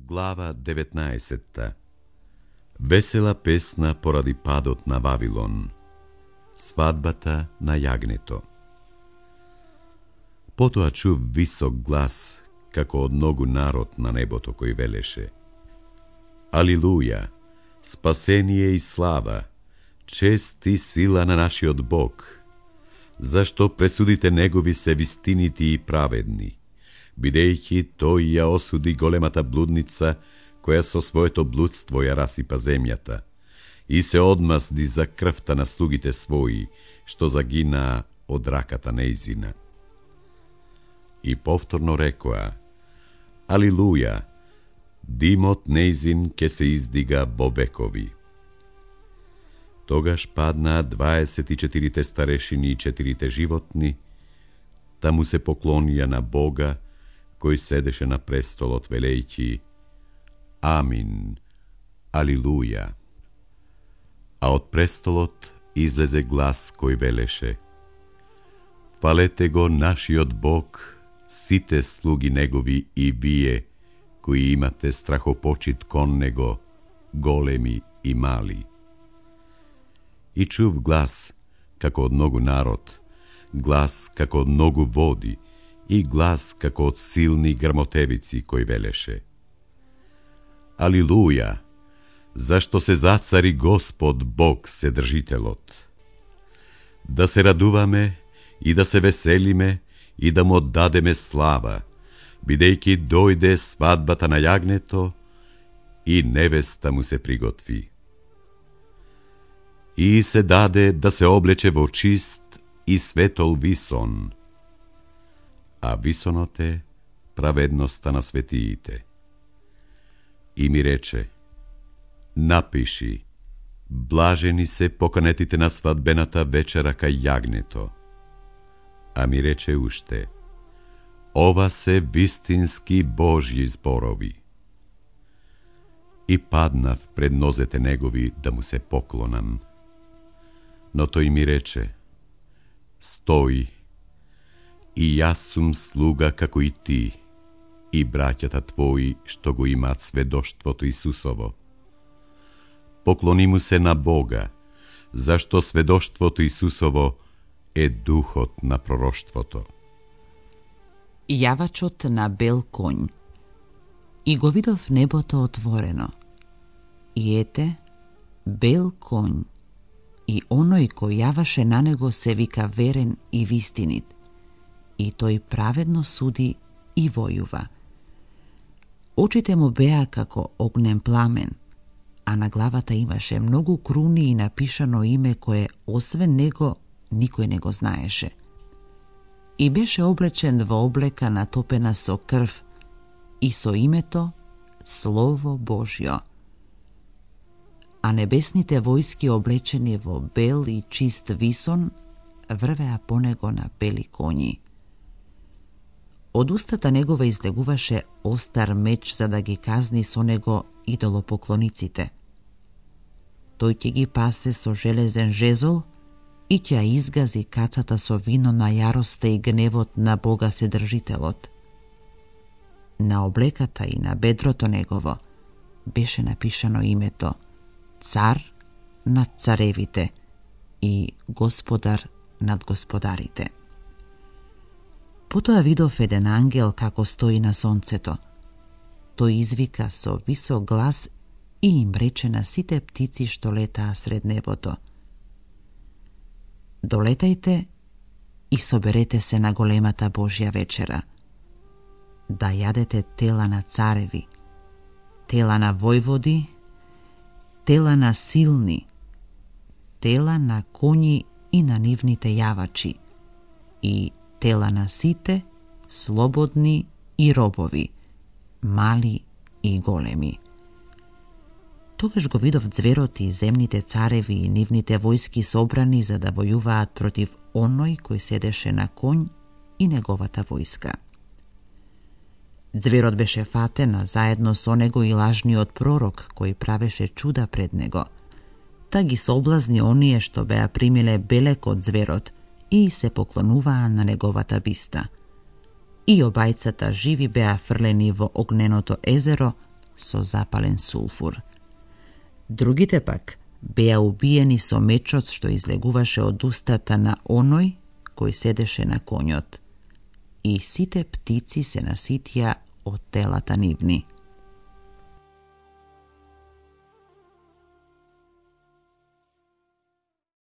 Глава 19. Весела песна поради падот на Вавилон. Свадбата на јагнето. Потоа чув висок глас, како од многу народ на небото, кој велеше: Алилуја, спасение и слава, чест и сила на нашиот Бог, зашто пресудите негови се вистинити и праведни, бидејќи тој ја осуди големата блудница, која со своето блудство ја расипа земјата, и се одмазди за крвта на слугите своји, што загинаа од раката нејзина. И повторно рекоа: Алилуја, димот нејзин ке се издига во векови. Тогаш паднаа 24 старешини и 4 животни, та му се поклонија на Бога, кој седеше на престолот, велејќи: Амин, Алилуја. А од престолот излезе глас кој велеше: Фалете го нашиот Бог, сите слуги негови и вие, кои имате страхопочит кон него, големи и мали. И чув глас како од многу народ, глас како од многу води, и глас како од силни грмотевици, кој велеше: Алилуја, зашто се зацари Господ Бог Седржителот. Да се радуваме и да се веселиме и да му дадеме слава, бидејќи дојде свадбата на јагнето и невеста му се приготви. И се даде да се облече во чист и светол висон, а висонот е праведноста на светиите. И ми рече: Напиши: блажени се поканетите на свадбената вечера кај јагнето. А ми рече уште: ова се вистински Божји зборови. И паднав пред нозете негови да му се поклонам. Но тој ми рече: Стој, и јас сум слуга како и ти, и браќата твои што го имаат сведоштвото Исусово. Поклони му се на Бога, зашто сведоштвото Исусово е духот на пророштвото. Јавачот на бел коњ. И го видов небото отворено. И ете, бел коњ, и оној кој јаваше на него се вика верен и вистинит, и тој праведно суди и војува. Очите му беа како огнен пламен, а на главата имаше многу круни и напишано име кое освен него никој не го знаеше. И беше облечен во облека натопена со крв и со името Слово Божјо. А небесните војски облечени во бел и чист висон врвеа по него на бели коњи. Од устата негова излегуваше остар меч за да ги казни со него идолопоклониците. Тој ќе ги пасе со железен жезол и ќе изгази кацата со вино на јароста и гневот на Бога Седржителот. На облеката и на бедрото негово беше напишано името Цар над царевите и Господар над господарите. Потоа видов еден ангел како стои на сонцето. Тој извика со висок глас и им рече на сите птици што летаа сред небото: Долетајте и соберете се на големата Божја вечера, да јадете тела на цареви, тела на војводи, тела на силни, тела на коњи и на нивните јавачи, и тела на сите, слободни и робови, мали и големи. Тогаш го видов ѕверот и земните цареви и нивните војски собрани за да војуваат против оној кој седеше на коњ и неговата војска. Ձверот беше фатен, а заедно со него и лажниот пророк кој правеше чуда пред него. Та ги соблазни оние што беа примиле белек од ձверот и се поклонуваа на неговата биста. И обајцата живи беа фрлени во огненото езеро, со запален сулфур. Другите пак беа убиени со мечот што излегуваше од устата на оној кој седеше на конјот. И сите птици се наситија од телата нивни.